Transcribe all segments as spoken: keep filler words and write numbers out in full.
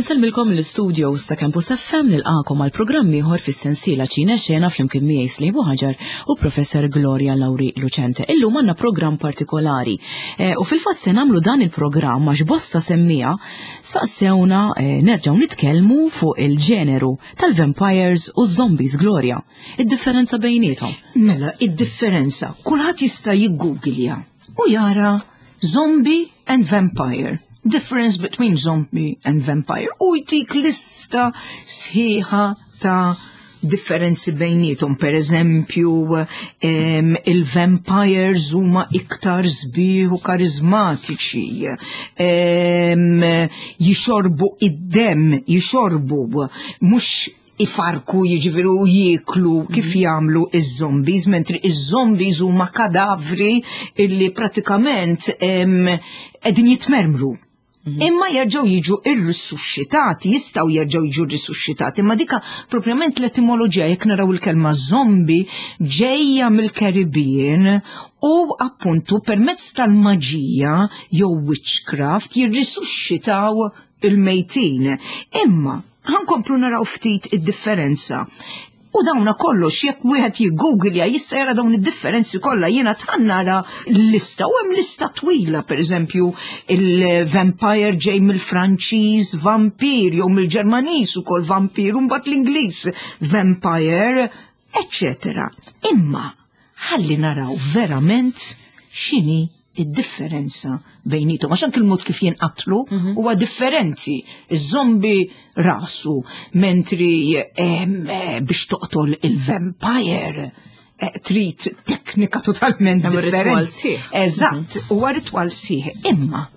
Insellmilkom l-studios ta' Campus F M, nilqagħkom għal programm ieħor fis-sensiela Ċine Xena flimkien miegħi Slibu Ħaġar u Professor Gloria Lauri Lucente. Illum għandna programm partikolari e, u fil-fatt se nagħmlu dan il-programm għax bosta semmiegħa saqsewna e, nerġgħu nitkellmu fuq il-ġeneru tal-vampires u zombies, Gloria. Id-differenza bejniethom. Mela, id-differenza, kulħadd jista' jiggooglja u jara "zombie and vampire". Difference between zombie and vampire. U jtik lista sħiħa ta' differenzi bejnietom. Per eżempju, il-vampires huma iktar sbieħ u karizmatiċi. Jixorbu id-dem, jixorbu, mhux ifarku, jiġifieri, u jieklu kif mhm. jagħmlu iż-zombies, mentri iż-zombies huma kadavri illi pratikament qegħdin jitmermru. Mhm. Imma jerġgħu jiġu irrisusxitati, jistgħu jerġgħu jiġu rrisusxitati, imma dika propjament l-etimoloġija, jekk naraw il-kelma zombie, ġejja mill-Caribbean u appuntu permezz tal-maġija jew witchcraft jirrisusxitaw il-mejtin. Imma ħa nkomplu naraw ftit id-differenza. U dawna kollox, jekk wieħed jiggooglja, jista' jara dawn id-differenzi kollha. Jiena tħan nara l-lista u hemm lista twila. Pereżempju, il-vampire ġej mill-Franċiż vampir jew mill-Ġermaniż ukoll vampir u mbagħad l-Ingliż vampire, eccetera. Imma ħalli naraw verament x'inhi id-differenza bejnietom, għax anke il-mod kif jinqatlu mhm. huwa differenti. Iż-zombi rasu, mentri eh, biex toqtol il-vampire eh, trid teknika totalment differenti. Eżatt, mhm. huwa ritwal sħiħ. Imma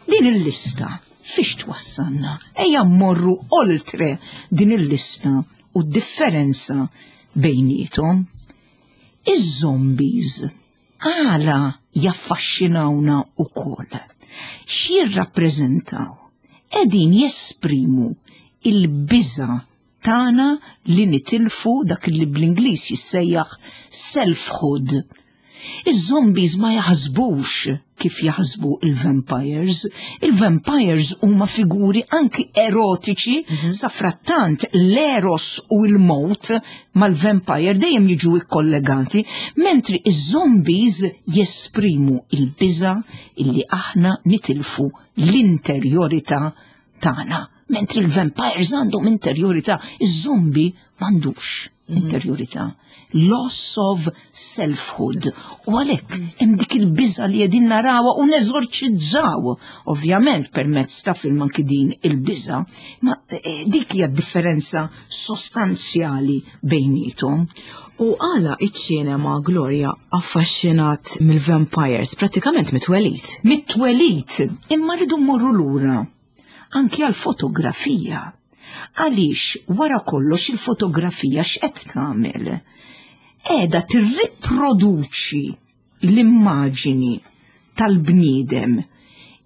din il-lista fiex twassalna? Ejja mmorru oltre din il-lista u differenza bejnietom. Iż-zombies għala jaffaxxinawna ukoll? X'jirrappreżentaw? Qegħdin jesprimu il-biża tagħna li nitilfu dak li bl-Ingliż jissejjaħ selfhood. Iż-zombies ma jaħsbux kif jaħsbu il-vampires. Il-vampires huma figuri anki erotiċi, mm -hmm. safrattant l-eros u l-mot mal-vampire dejjem jiġu ikkollegati, mentri iż-zombies jesprimu il-biża illi aħna nitilfu l-interjorità tagħna. Mentri il-vampires għandhom interjorità, iż-zombie m'għandux mhm. interjorità. Loss of selfhood. U għalhekk hemm dik il-biża li qegħdin narawha u neżorċizzaw, ovvjament permezz ta' film anki din il-biża, ma eh, dik hija differenza sostanzjali bejnietom. U għala iċ-ċinema, Gloria, affaxxinat mill-vampires pratikament mit-twelid? Mit-twelid, imma rridu mmorru lura anki għal fotografija. Għaliex wara kollox il-fotografija x'qed tagħmel? Qiegħda tirriproduċi l-immaġini tal-bniedem.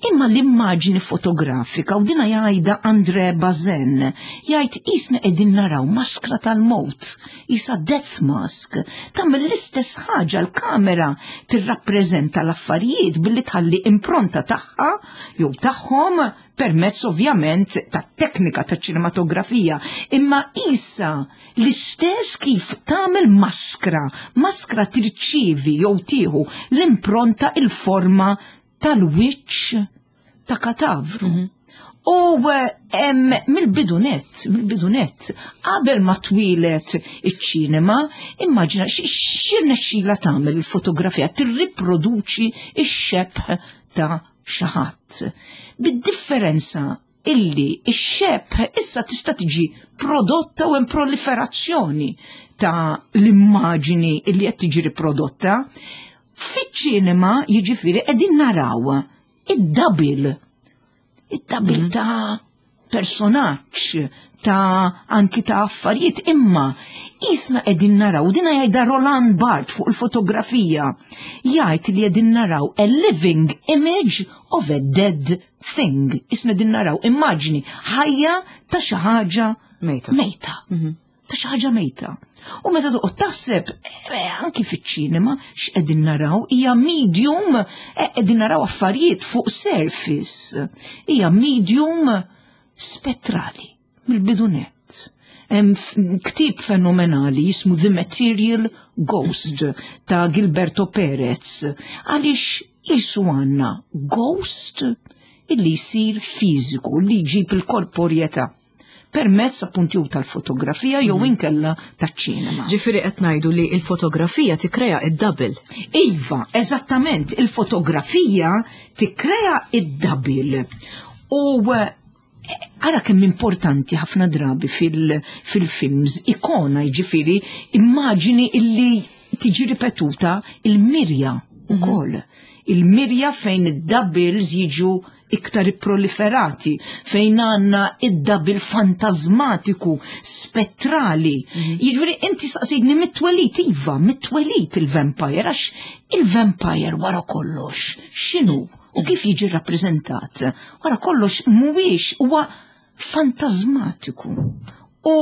Imma l-immaġini fotografika, u dina jgħidha André Bazin, jgħid qisna qegħdin naraw maskra tal-mot, qisha death mask, tagħmel l-istess ħaġa. L-kamera tirrappreżenta l-affarijiet billi tħalli impronta tagħha jew tagħhom permezz ovvjament ta' teknika ta' ċinematografija, imma qisha l-istess kif tagħmel maskra, maskra tirċivi jew tieħu l-impronta, il-forma tal-wiċċ ta' katavru. Mm -hmm. U mill-bidunet, mill-bidunet, qabel ma twieled iċ-ċinema, immaġina x'irnexxila tagħmel il-fotografija, tirriproduċi ix-xebh ta' xi ħadd. Bid-differenza illi ix-xebh issa tista' tiġi prodotta u hemm proliferazzjoni ta' l-immaġini illi qed tiġi riprodotta. Fiċ-ċinema, jiġifieri, qegħdin naraw id-double, id-double mm. ta' personaġġ, ta' anki ta' affarijiet, imma qisna qegħdin naraw, dina jgħidha Roland Barthes fuq il-fotografija, jgħid li qegħdin naraw a living image of a dead thing. Qisna qegħdin naraw immaġni ħajja ta' xi ħaġa mejta. Mejta. Mm -hmm. Ta' xi ħaġa mejta. U meta toqgħod taħseb eh, anki fiċ-ċinema x'qegħdin naraw hija medium, eh, qegħdin naraw affarijiet fuq surface. Hija medium Spettrali, mill-bidu nett. Hemm ktieb fenomenali jismu The Material Ghost ta' Gilberto Perez, għaliex jisu għandna ghost illi jsir fiżiku, li jġib il-korporjetà permezz appuntu jew tal-fotografija jew mhm. inkella taċ-ċinema. Ġifieri qed ngħidu li l-fotografija tikkrea id-double. Iva, eżattament, il-fotografija tikkrea id-double. U eh, ara kemm importanti ħafna drabi fil-films ikona, jiġifieri immaġini illi tiġi ripetuta, il-mirja ukoll. Mhm. Il-mirja fejn id-doubles jiġu iktar proliferati, fejn għandna id-double fantasmatiku, spettrali. Mhm. Jiġifieri inti saqsejtni mit-twelid, iva, mit-twelid il-vampire, għax il-vampire wara kollox, x'inhu u kif jiġi rappreżentat? Wara kollox mhuwiex, huwa fantasmatiku. U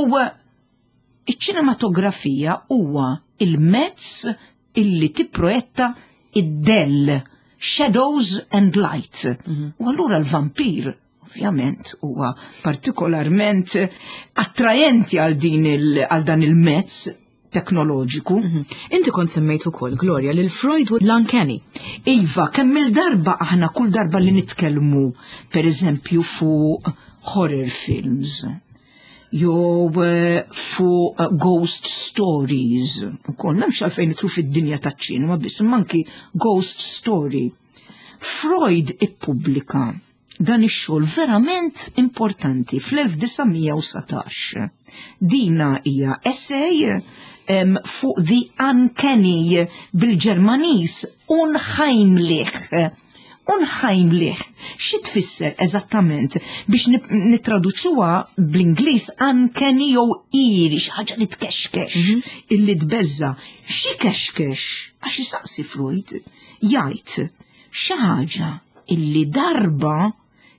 iċ-ċinematografija huwa il-mezz illi tipproietta id-dell, shadows and light. Mhm. U allura l-vampir ovvjament huwa partikolarment attrajenti għal din għal dan il-mezz teknoloġiku. Mhm. Inti kont semmejt ukoll, Gloria, lil Freud u l-uncanny. Iva, kemm il-darba aħna kull darba li nitkellmu, per eżempju, fuq horror films, jew eh, fuq eh, ghost stories. Ukoll m'hemmx għalfejn nidħlu fid-dinja taċ-ċinema biss, imma anki ghost story. Freud ippubblika dan ix-xogħol verament importanti fl-elf disa' mija u dsatax. Dina hija essay um, fuq the uncanny, bil-Ġermaniż unheimlich. Unheimlich. Xi tfisser eżattament? Biex nittraduċuha bl-Ingliż, uncanny jew eerie, xi ħaġa li tkexkex, mhm. illi tbeżza. Xi kexkex? Għax jisaqsi Freud, jgħid xi ħaġa illi darba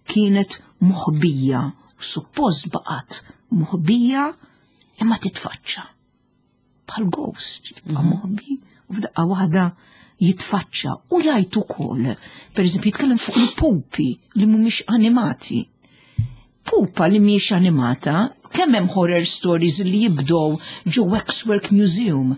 kienet moħbija, suppost baqgħet moħbija, imma titfaċċa. Bħal ghost, jibqa' mhm. moħbi u f'daqqa waħda jitfaċċa. U jgħid ukoll, per eżempju, jitkellem fuq il-pupi li mhumiex animati. Pupa li mhijiex animata, kemm hemm horror stories li jibdow ġo Waxwork Museum.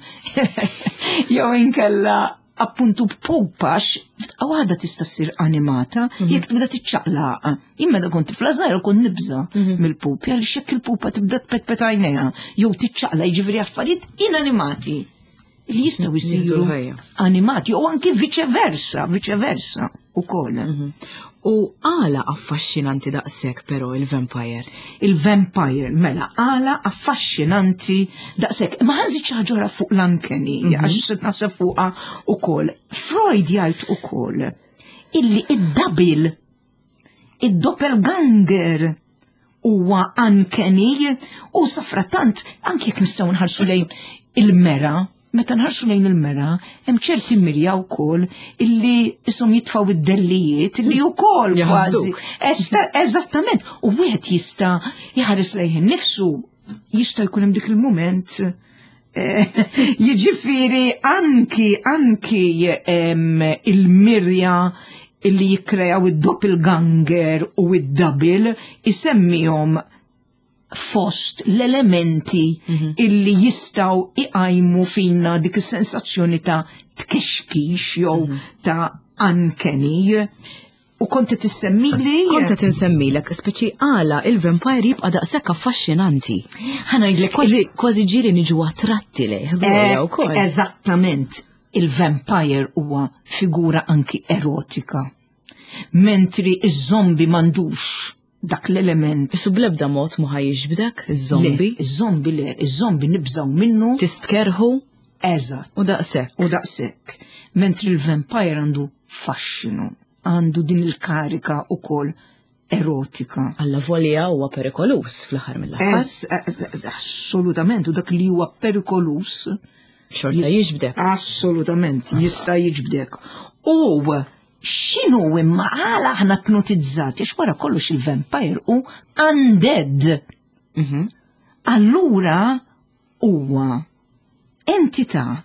Jew inkella appuntu pupa f'daqqa waħda tista' ssir animata mhm. jekk tibda tiċċaqlaq. Jien meta kont tifla żgħira kont nibża mhm. mill-pupi, għaliex jekk il-pupa tibda tpetpet għajnejha jew tiċċaqlaq, jiġifieri affarijiet inanimati li jistgħu jsiru animati u anki vice versa, vice versa ukoll. Mhm. U għala affaxxinanti daqshekk però il-vampire? Il-vampire, mela, għala affaxxinanti daqshekk. Ma ħa nżid xi ħaġa fuq l-uncanny, mhm. għax naħseb fuqha ukoll. Freud jgħid ukoll illi id-double, id-doppelganger huwa uncanny u safratant anki jekk nistgħu nħarsu lejn il-mera, meta nħarsu lejn il-mera, hemm ċerti mirja wkoll illi ishom jitfaw id-dellijiet illi wkoll kważi. Eżattament, u wieħed jista' jħares lejn nifsu, jista' jkun hemm dik il-mument eh, jiġifieri anki anki il-mirja illi jikkrejaw id-doppelganger u id-double isemmihom fost l-elementi mhm. illi jistgħu iqajmu fina dik is-sensazzjoni ta' tkexkix jew mhm. ta' uncanny. U kont tissemmili? Kont insemmilek, speċi għala il-vampire jibqa' daqshekk affaxxinanti. Ħa ngħidlek. Kważi kważi ġieli niġu attratti lejh. Eh, eżattament, il-vampire huwa figura anki erotika. Mentri iż-zombi m'għandux dak l-element. Isu blebda mod ma jiġbdek, iż-zombi. Iż-zombi le, iż-zombi nibżaw minnu. Tistkerħu. Eżatt. U daqshekk. U daqshekk. Mentri il-vampire għandu faxxinu, għandu din il-karika ukoll erotika. Alla volja huwa perikolus fl-aħħar mill-aħħar. Eh, assolutament, u dak li huwa perikolus. Xorta jiġbdek. Assolutament, jista' jiġbdek. U x'inhu imma, għala aħna ipnotizzati, għax wara kollox il-vampire u undead. Mhm. Allura huwa entità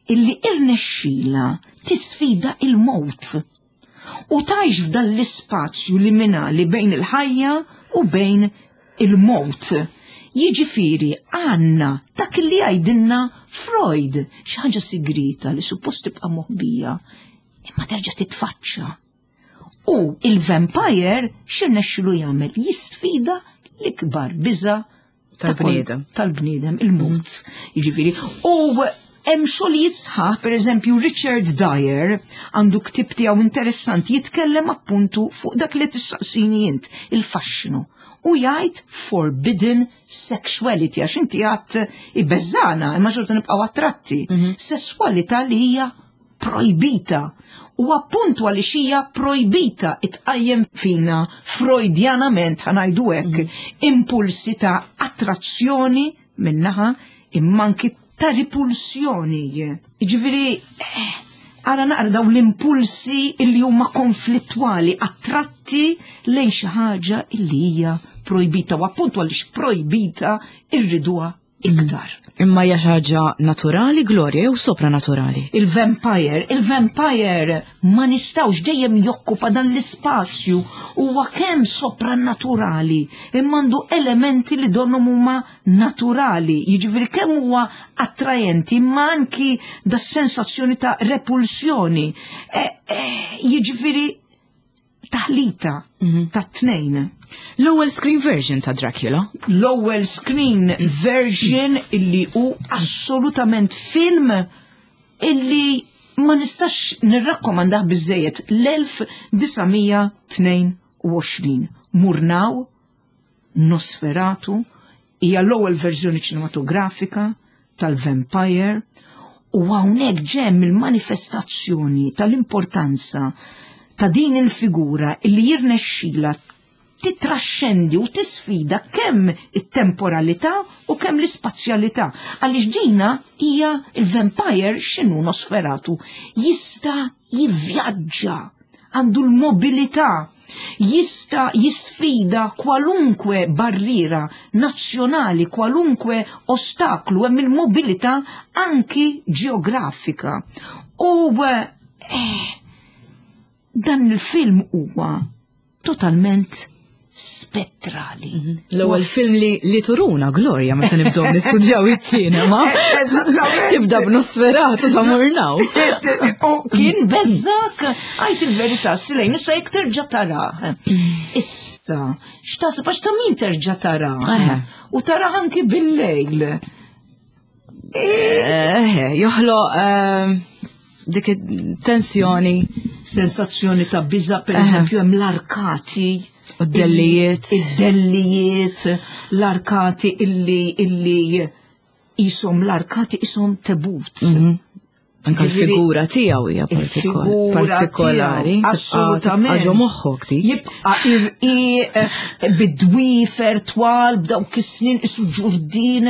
illi irnexxila tisfida il-mowt u tgħix f'dan l-ispazju liminali bejn il-ħajja u bejn il-mowt. Jiġifieri għandna dak li jgħidilna Freud, xi ħaġa sigrita li suppost tibqa' moħbija, imma terġa' titfaċċa. U il-vampire x'irnexxilu jagħmel? Jisfida l-ikbar biża tal-bniedem. Tal-bniedem, il-mowt. Jiġifieri, u hemm xogħlijiet sħaħ, pereżempju Richard Dyer għandu ktieb tiegħu interessanti jitkellem appuntu fuq dak li tistaqsini int, il-faxxinu. U jgħid forbidden sexuality, għax inti għat ibeżżana, imma xorta nibqgħu attratti. Sesswalità li hija projbita. U appuntu għaliex hija projbita itqajjem fina freudjanament ħa ngħidu hekk impulsi ta' attrazzjoni minnaħa imma anki ta' ripulsjoni. Jiġifieri, eh, ara naqra daw l-impulsi illi huma konflittwali, attratti lejn xi ħaġa illi hija projbita u appuntu għaliex projbita irriduha iktar. Imma hija xi ħaġa naturali, Gloria, jew sopranaturali? Il-vampire, il-vampire ma nistawx dejjem jokkupa dan l-ispazju huwa kemm sopranaturali imma għandu elementi li donnhom huma naturali, jiġifieri kemm huwa attrajenti imma anki da sensazzjoni ta' repulsjoni. E, e, jiġifieri taħlita ta' tnejn. L-ewwel screen version ta' Dracula. L-ewwel screen version illi hu assolutament film illi ma nistax nirrakkomandah biżejjed l-elf disa' mija tnejn u għoxrin. Murnau, Nosferatu, hija l-ewwel verżjoni ċinematografika tal-Vampire u hawnhekk ġemm il-manifestazzjoni tal-importanza ta' din il-figura illi jirnexxila titraxxendi u tisfida kemm it-temporalità u kemm l-ispazjalità. Għaliex dina hija il-vampire x'inhu Nosferatu jista' jivvjaġġa, għandu l-mobilità, jista' jisfida kwalunkwe barriera nazzjonali, kwalunkwe ostaklu, hemm il-mobilità anki ġeografika. U, eh, dan il-film huwa totalment spettrali. Mhm. L-ewwel film li, li turuna, Gloria, meta nibdew nistudjaw iċ-ċinema. Eżattament. Tibda b'Nosferatu sa Murnau. U kien beżżak, għajt il-verità, Silejn, issa jekk terġa' tara. Issa, x'taħseb għax ta' min terġa' tara? Eħe. U tara anki bil-lejl. Eħe, joħloq, ehm, dik it-tensjoni. Sensazzjoni ta' biża', per Eħe. eżempju, hemm l-arkati. U d-dellijiet. Id-dellijiet, l-arkati illi, illi jisom l-arkati jisom tebut. Mhm. Anka Ġifieri, l-figura tiegħu hija partikol-, il-figura partikolari. tiegħu, Tibqa' assolutament. tibqa' ġo moħħok dik. Jibqa' irqiq bid-dwifer twal b'dawk is-snin isu ġurdin,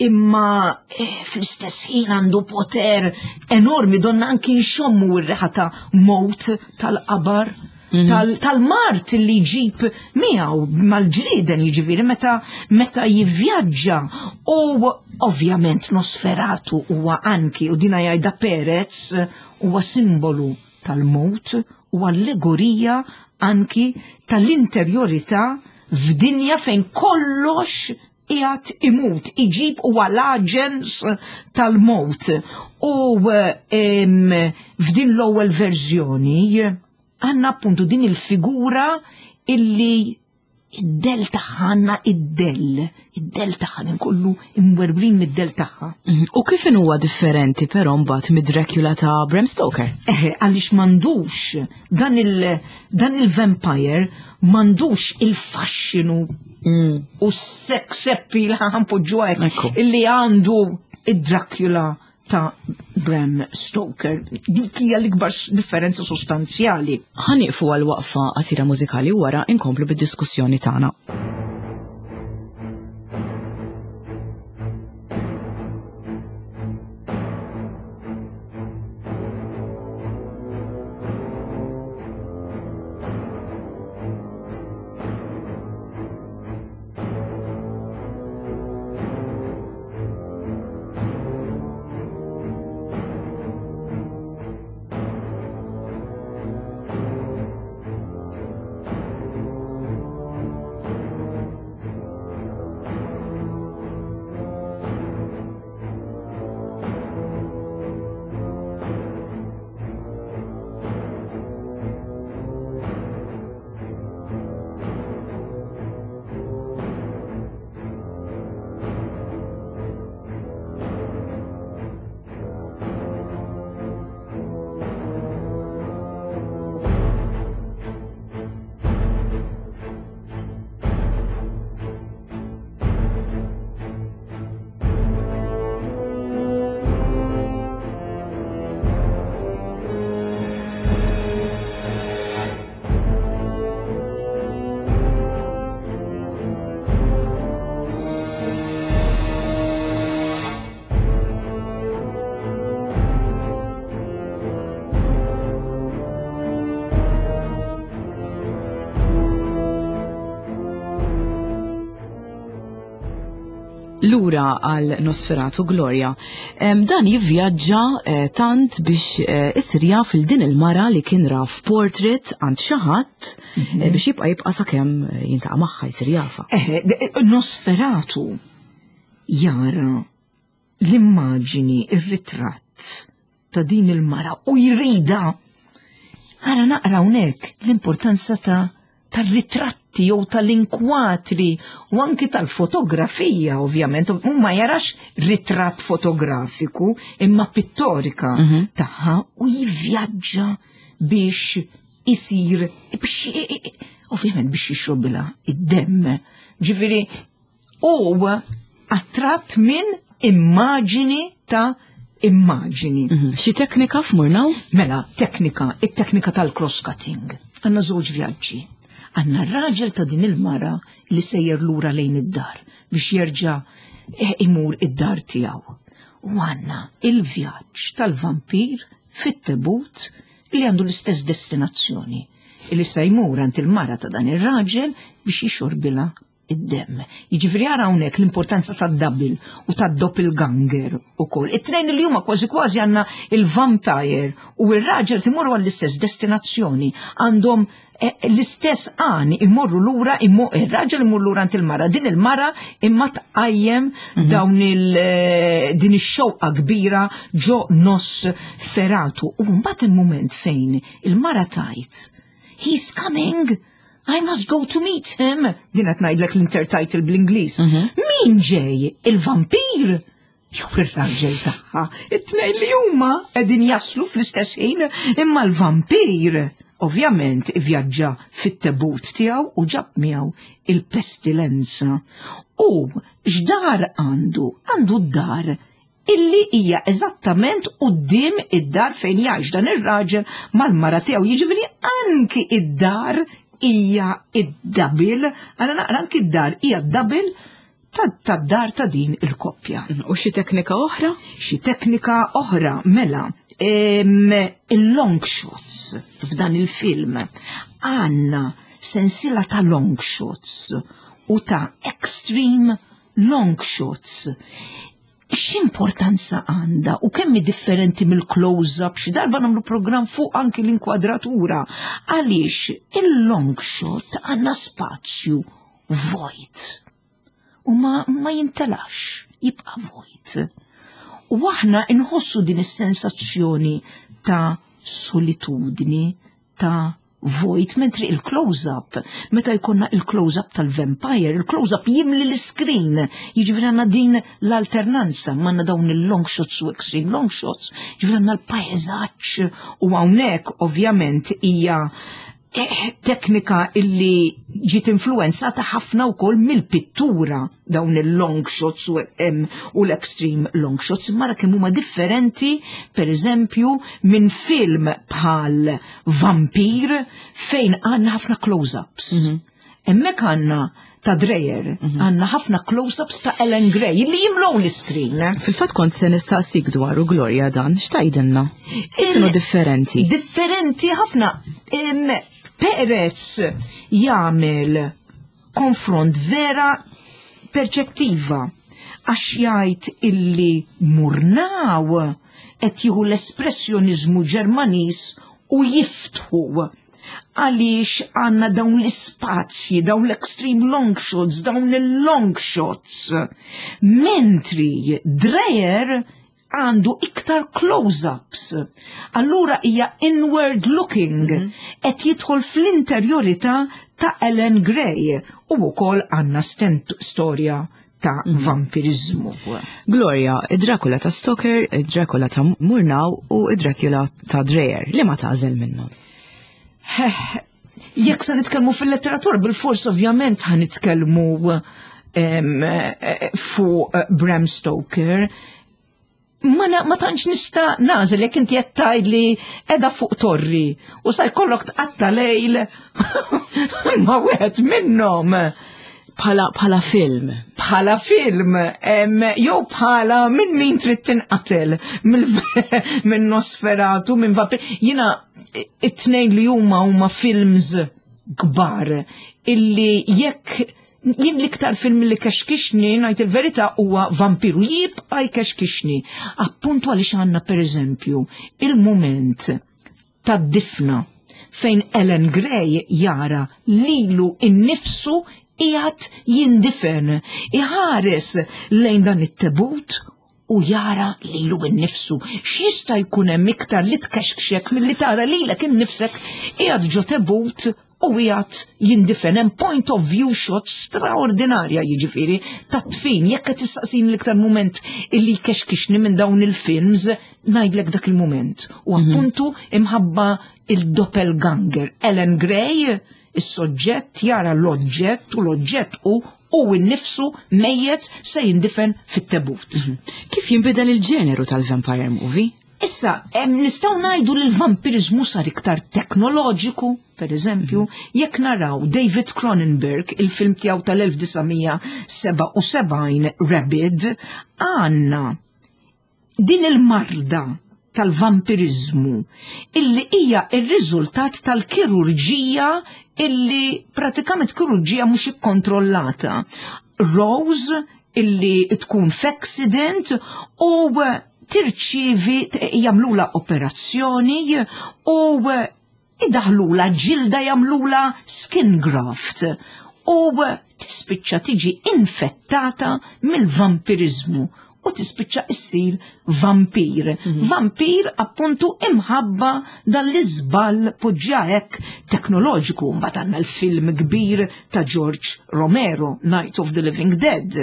imma, eh, fl-istess ħin għandu poter enormi, donna anki nxommu r-riħa ta' mowt tal-qabar. Mhm. Tal-, tal-mart li jġib miegħu mal-ġrieden, jiġifieri meta, meta jivvjaġġa. U ovvjament Nosferatu huwa anki, u dina jgħidha Perez, huwa simbolu tal-mowt u allegorija anki tal-interjorità f'dinja fejn kollox qiegħed imut, iġib huwa l-aġens tal-mowt. U, em, f'din l-ewwel verżjoni għanna appuntu din il-figura illi id-del tagħha għandna id-del, id-del tagħha kollu imwerbrin mid-del tagħha. Mhm. U kif huwa differenti però mbagħad mid-Dracula ta' Bram Stoker? Eħe, għaliex m'għandux dan il-, dan il-vampire m'għandux il-faxxinu Mm. u s-sex appeal ħanpoġġu hekk Ekku. illi għandu id-Dracula ta' Bram Stoker. Dik hija l-ikbar differenza sostanzjali. Ħanieqfu għal waqfa qasira mużikali u wara inkomplu bid-diskussjoni tagħna. Lura għal Nosferatu, Gloria. Em, dan jivvjaġġa eh, tant biex eh, isir jaf lil din il-mara li kien ra f'portrait għand xi ħadd eh, biex jibqa' jibqa' sakemm eh, jiltaqa' magħha, jsir jafha. Eh, de- Nosferatu jara l-immaġini, ir-ritratt ta' din il-mara u jridha. Ara naqra hawnhekk l-importanza ta' tar-ritratti jew tal-inkwatri u anki tal-fotografija, ovvjament. U ma jarax ritratt fotografiku imma pittorika tagħha u jivvjaġġa biex isir biex ovvjament biex jixrobilha id-demm. Ġifieri huwa attratt minn immaġini ta' immaġini. Mhm. Xi teknika f'Murnau? Mela, teknika, it-teknika tal-cross-cutting. Għandna żewġ vjaġġi. Għandna r-raġel ta' din il-mara li sejjer lura lejn id-dar biex jerġa' eh, imur id-dar tiegħu. U għandna il-vjaġġ tal-vampir fit-tebut li għandu l-istess destinazzjoni, li se jmur għand il-mara ta' dan ir-raġel biex jixorbilha id-demm. Jiġifieri ara hawnhekk l-importanza tad-double u tad-doppelganger ukoll. It-tnejn li huma kważi kważi għandna il-vampire u ir-raġel imorru għall-istess destinazzjoni, għandhom eh, l-istess għan, imorru lura, immo- ir-raġel imur lura għand il-mara, din il-mara imma tqajjem dawn il eh, din ix-xewqa kbira ġo Nosferatu. U mbagħad il-mument fejn il-mara tgħid, "He's coming! I must go to meet him." Din qed ngħidlek l-intertitle bl-Ingliż. Min ġej? Il-vampir? Jew ir-raġel tagħha? It-tnejn li huma qegħdin jaslu fl-istess ħin, imma l-vampir ovvjament ivvjaġġa fit-tebut tiegħu u ġab miegħu il-pestilenza. U x'dar għandu? Għandu d-dar illi hija eżattament quddiem id-dar fejn jgħix dan ir-raġel mal-mara tiegħu. Jiġifieri anki id-dar hija id-double, għana naqra, anki id-dar hija d-double tad-dar ta' din il-koppja. U xi teknika oħra? Xi teknika oħra, mela, em, il-long shots f'dan il-film, għandna sensiela ta' long shots u ta' extreme long shots. X'importanza għandha u kemm hi differenti mill-close-up? Xi darba nagħmlu programm fuq anki l-inkwadratura, għaliex il-long shot għandna spazju vojt u ma, ma jintelax, jibqa' vojt. U aħna nħossu din is-sensazzjoni ta' solitudni, ta' vojt, mentri il-close-up, meta jkollna il-close-up tal-vampire, il-close-up jimli l-screen, jiġifieri għandna din l-alternanza, għandna dawn il-long shots u extreme long shots, jiġifieri għandna l-pajzaġġ u hawnhekk ovvjament hija eh, teknika illi ġiet influenzata ħafna wkoll mill-pittura, dawn il-long shots u, em, u l-extreme long shots, mara kemm huma differenti, per eżempju, minn film bħal Vampir fejn għandna ħafna close-ups. Hemmhekk għandna ta' Dreyer, għandna ħafna close-ups ta' Ellen Grey li jimlow l-screen. Fil-fatt kont se nistaqsik dwaru, Gloria, dan, x'tgħidilna? Kienu differenti. Differenti ħafna. Em, Perez jagħmel konfront vera perċettiva għax jgħid illi Murnau qed jieħu l-espressjonizmu Ġermaniż u jiftħu għaliex għandna dawn l-ispazji, dawn l-extreme long shots, dawn il-long shots. Mentri Dreyer għandu iktar close-ups. Allura hija inward looking, qed jidħol fl-interjorità ta' Ellen Grey u wkoll għandna stent storja ta' vampirizmu. Gloria, id-Dracula ta' Stoker, id-Dracula ta' Murnau u id-Dracula ta' Dreyer. Li ma tagħżel minnhom? Jekk se nitkellmu fil-letteratura, bil-fors ovvjament ħa nitkellmu em, eh, fuq eh, Bram Stoker. Ma, na, ma tantx nista' nagħżel. Jekk inti qed tgħidli qiegħda fuq torri u sa jkollok tqatta' lejl ma' wieħed minnhom. Bħala, bħala film. Bħala film, em, jew bħala minn min trid tinqatel, mill- minn Nosferatu, minn vampir. Jiena it-tnejn li huma huma films kbar illi jekk Jien l-iktar film li kexkixni, ngħid il-verità, huwa Vampiru, jibqa' jkexkixni. Appuntu għaliex għandna, per eżempju, il-moment tad-difna fejn Ellen Grey jara lilu innifsu qiegħed jindifen, iħares lejn dan it-tebut u jara lilu innifsu. X'jista' jkun hemm iktar li tkexkxek milli tara lilek innifsek qiegħed ġo tebut u qiegħed jindifen? Hemm point of view shot straordinarja, jiġifieri tat-tfin. Jekk qed tistaqsini l-iktar moment illi kexkixni minn dawn il-films, ngħidlek dak il-moment. U appuntu imħabba il-doppelganger. Ellen Grey, is-soġġett jara l-oġġett u l-oġġett u u nnifsu mejjet se jindifen fit-tebut. Kif jinbidel il-ġeneru tal-vampire movie? Issa, em, nistgħu ngħidu li l-vampirizmu sar iktar teknoloġiku, per eżempju, jekk naraw David Cronenberg, il-film tiegħu tal-elf disa' mija sebgħa u sebgħin Rabid, għandna din il-marda tal-vampirizmu illi hija il-riżultat tal-kirurġija, illi pratikament kirurġija mhux ikkontrollata. Rose illi tkun f'accident u tirċivi, jagħmlulha operazzjoni u idaħlula ġilda, jagħmlulha skin graft u tispiċċa tiġi infettata mill-vampirizmu u tispiċċa issir vampir. Vampir appuntu imħabba dan l-iżball poġġa teknoloġiku. Mbagħad għandna l-film kbir ta' George Romero, Night of the Living Dead.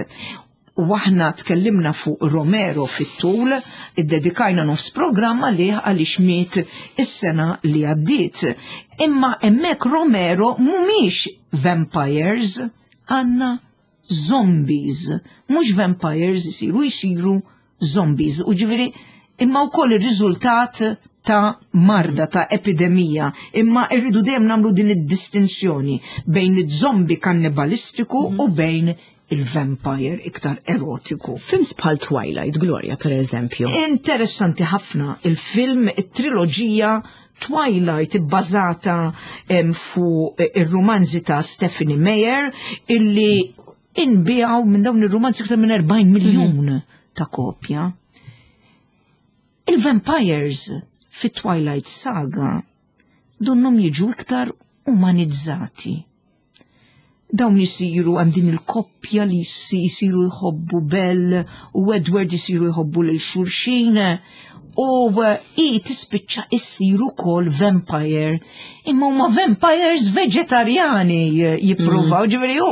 U aħna tkellimna fuq Romero fit-tul, iddedikajna nofs programma li għaliex miet is-sena li għaddiet. Imma hemmhekk Romero mhumiex vampires, għandna zombies, mhux vampires jisiru, jisiru zombies. U ġifieri, imma wkoll ir-riżultat ta' marda, ta' epidemija, imma irridu dejjem nagħmlu din id-distinzjoni bejn iż-zombi kannibalistiku u bejn il-vampire iktar erotiku. Films bħal Twilight, Gloria, per eżempju. Interessanti ħafna il-film, it-triloġija Twilight bbażata em, fuq ir-romanzi ta' Stephanie Meyer illi inbiegħu minn dawn ir-romanzi iktar minn erbgħin miljun ta' kopja. Il-vampires fit Twilight Saga donnhom jiġu iktar umanizzati. Dawn jisiru, hemm din il-koppja li jisiru jħobbu, Belle u Edward jisiru jħobbu lil xulxin u i tispiċċa issiru kol vampire, imma huma vampires veġetarjani jippruvaw, ġifieri u,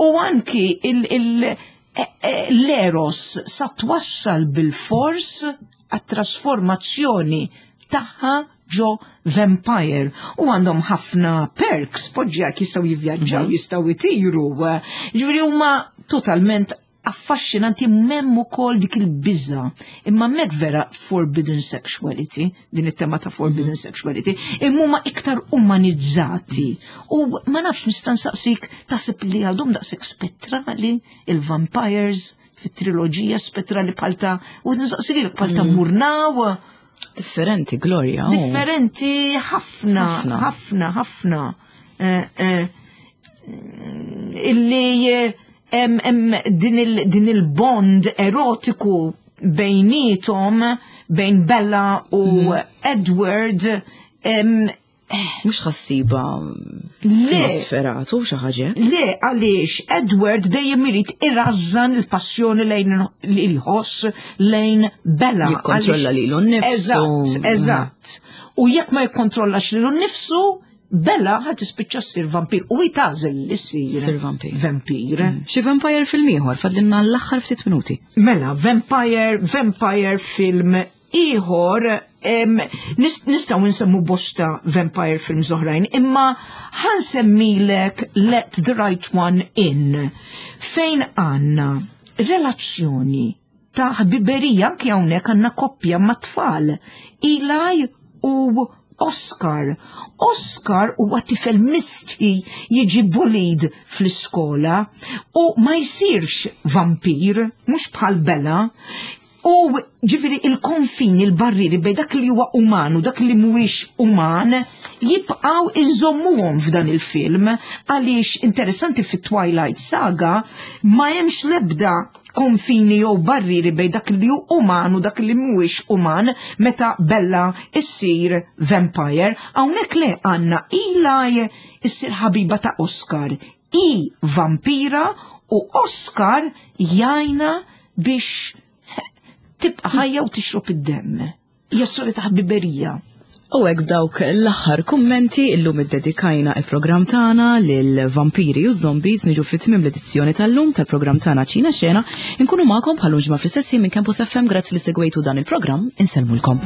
u anki il, il, e- e- l-eros sa twassal bil-fors għat-trasformazzjoni tagħha ġo vampire u għandhom ħafna perks, poġġja jistgħu jivvjaġġaw, jistgħu jtiru, ġifieri huma totalment affaxxinanti. Hemm ukoll dik il-biża. Imma hemmhekk vera forbidden sexuality, din it-tema ta' forbidden sexuality, imma huma iktar umanizzati. U ma nafx, nista' nsaqsik, taħseb li għadhom daqshekk spettrali il-vampires fit-triloġija, spettrali bħal ta' u nsaqsik bħal ta' Murnau? Differenti, Gloria. Oh. Differenti ħafna, Ħafna. ħafna, ħafna. Eh, eh, illi eh, em, em, din il- din il-bond erotiku bejnietom, bejn Bella u Edward, em, Mhux ħassiba Le. Nosferatu xi ħaġa. Le, għaliex Edward dejjem irid irażżan il-passjoni lejn li jħoss lejn Bella. Jikkontrolla Għaliex- lilu nnifsu. Eżatt, eżatt. U jekk ma jikkontrollax lilu nnifsu, Bella ħa tispiċċa ssir vampir u jagħżel li ssir Ssir vampir. Vampir. Xi vampire film ieħor, fadlinna l-aħħar ftit minuti. Mela, vampire, vampire film ieħor, em, nis- nistgħu nsemmu bosta vampire films oħrajn, imma ħa nsemmilek Let the Right One In, fejn għandna relazzjoni ta' ħbiberija, anki hawnhekk għandna koppja ma' tfal, Eli u Oscar. Oscar huwa tifel mistħi, jiġi bullied fl-iskola u ma jsirx vampir, mhux bħal Bella. U ġifieri il-konfini, il-barriri bejn dak li huwa uman u dak li mhuwiex uman Jibqaw inżommuhom f'dan il-film, għaliex interessanti, fit-Twilight Saga ma hemmx lebda konfini jew barriri bejn dak li hu uman u dak li mhuwiex uman meta Bella issir vampire. Hawnhekk le, għandna Eli issir ħabiba ta' Oscar. I vampira u Oscar jgħinha biex tibqa' ħajja u tixrob id-demm. Hija storja ta' ħbiberija. U hekk, b'dawk l-aħħar kummenti, illum iddedikajna il-programm tagħna lil vampiri u zombies, niġu fit-tmiem l-edizzjoni tal-lum tal-programm tagħna Ċina Xena. Inkunu magħkom bħal ġimgħa fl-istess minn Campus F M. Grazzi li segwejtu dan il-programm, insellmulkom.